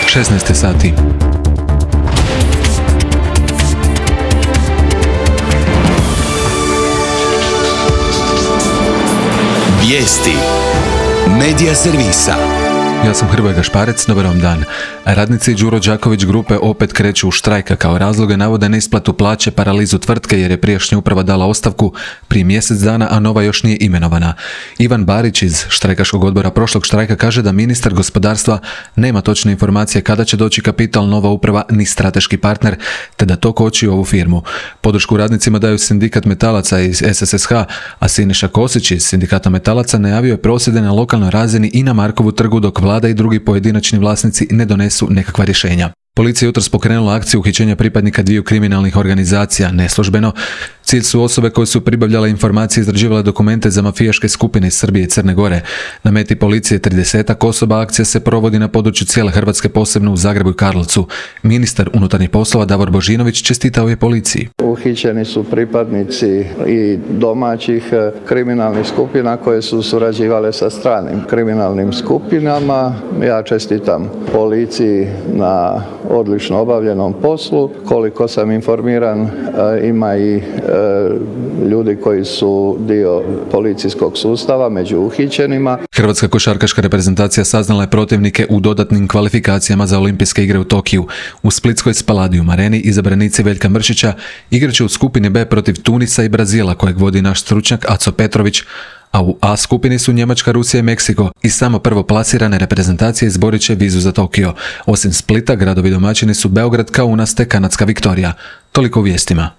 16 sati. Vijesti Medija servisa. Ja sam Hrvoje Gašparec, dobar vam dan. Radnici Đuro Đaković grupe opet kreću u štrajk, kao razloge navode neisplatu plaće, paralizu tvrtke jer je prijašnja uprava dala ostavku prije mjesec dana, a nova još nije imenovana. Ivan Barić iz štrajkaškog odbora prošlog štrajka kaže da ministar gospodarstva nema točne informacije kada će doći kapital, nova uprava ni strateški partner, te da to koči ovu firmu. Podršku radnicima daju sindikat metalaca iz SSSH, a Siniša Kosić iz sindikata metalaca najavio je prosvjede na lokalnoj razini i na Markovu trgu dok vlada i drugi pojedinačni vlasnici ne donesu nekakva rješenja. Policija je jutros pokrenula akciju uhićenja pripadnika dviju kriminalnih organizacija neslužbeno. Cilj su osobe koje su pribavljale informacije i izrađivale dokumente za mafijaške skupine iz Srbije i Crne Gore. Na meti policije 30 osoba. Akcija se provodi na području cijele Hrvatske, posebno u Zagrebu i Karlovcu. Ministar unutarnjih poslova Davor Božinović čestitao je policiji. Uhićeni su pripadnici i domaćih kriminalnih skupina koje su surađivale sa stranim kriminalnim skupinama. Ja čestitam policiji na odlično obavljenom poslu. Koliko sam informiran, ima i ljudi koji su dio policijskog sustava među uhićenima. Hrvatska košarkaška reprezentacija saznala je protivnike u dodatnim kvalifikacijama za olimpijske igre u Tokiju. U splitskoj Spaladium areni izabranici Veljka Mršića igraće u skupini B protiv Tunisa i Brazila, kojeg vodi naš stručnjak Aco Petrović, a u A skupini su Njemačka, Rusija i Meksiko i samo prvoplasirane reprezentacije izborit će vizu za Tokio. Osim Splita, gradovi domaćini su Beograd, Kaunas te kanadska Viktorija. Toliko u vijestima.